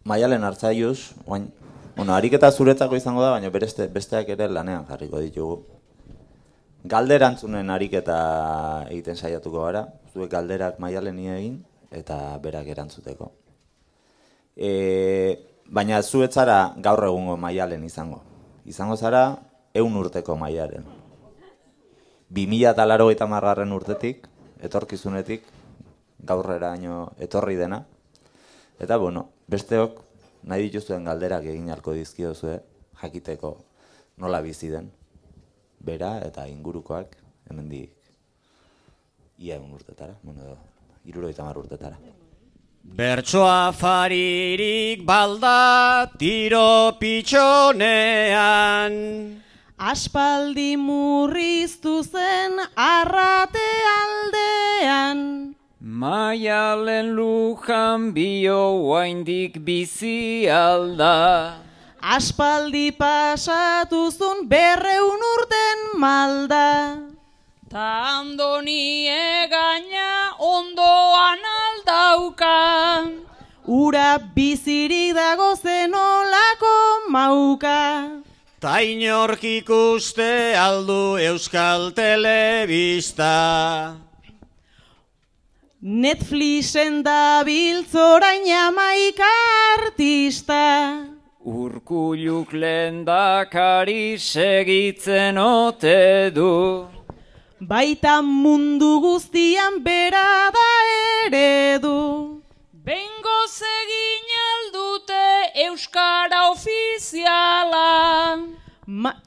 Maialen Artzaiuz, ariketa zuretzako izango da, baina besteak ere lanean jarriko ditugu. Galderantzunen ariketa egiten saiatuko gara, zuek galderak Maialeni egin eta berak erantzuteko. Baina zuetzara gaur egungo Maialen izango. Izango zara 100 urteko Maialen. 2080 urtetik, etorkizunetik, gaurreraino etorri dena. Eta, besteok nahi dituzuen galderak egin ahalko dizkiozue, jakiteko nola bizi den, bera eta ingurukoak hemendik ia 100 urtetara, 70 urtetara. Bertsoa faririk balda tiro pitxonean, aspaldi murriztu zen arrate aldean, Maialen lujan bio oaindik bizi alda, aspaldi pasatuzun 200 urten malda, ta Andoni egaina ondoan aldauka, ura bizirik dago zenolako mauka. ta inork ikuste aldu Euskal Telebista. Netflixen dabiltz orain 11 artista, Urkulluk lehendakari segitzen ote du, baita mundu guztian bera da eredu. bengoz egin aldute Euskara ofiziala,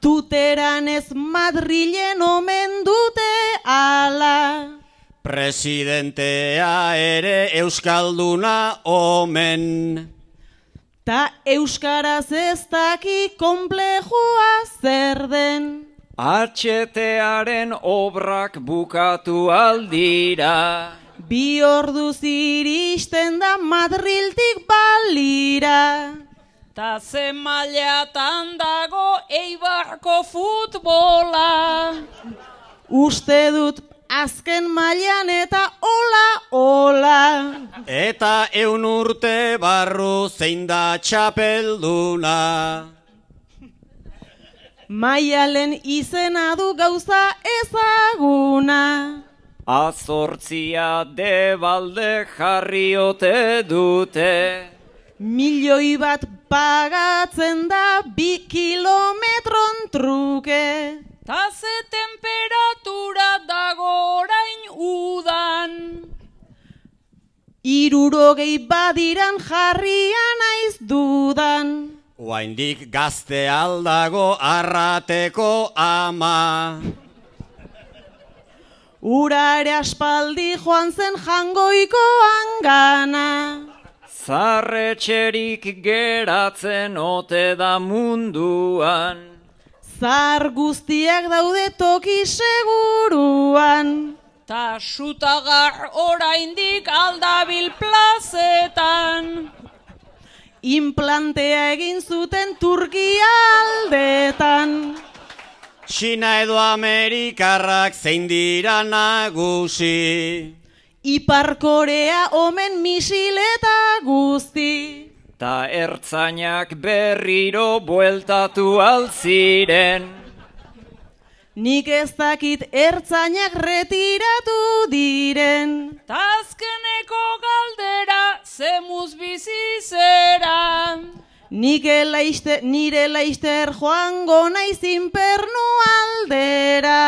Tuteran ez Madrilen omen dute ala. Presidentea ere Euskalduna omen. Ta euskaraz ez daki konplejua zer den. HTaren obrak bukatu aldira, 2 orduz iristen da Madriltik balira. ta ze mailatan dago Eibarko futbola, Uste dut azken mailan eta ola. Eta 100 urte barru zein da txapelduna. Maialen izena du gauza ezaguna. azortzia debalde jarriote dute, 1.000.000 bat pagatzen da 2 kilometron truke. ta ze temperatura dago orain udan, 60 badiran jarria naiz dudan. Oaindik gazte aldago arrateko ama. Ura ere aspaldi joan zen Jangoikoan gana. zarretxerik geratzen ote da munduan, Zar guztiak daude toki seguruan. ta sutagar oraindik aldabil plazetan, Implantea egin zuten Turkia aldetan. Txina edo Amerikarrak zein dira nagusi. Ipar Korea omen misil eta guzti. ta ertzainak berriro bueltatu altziren, Nik ez dakit ertzainak retiratu diren. ta azkeneko galdera zemuz bizi zera, Nire laister joango naiz inpernu aldera.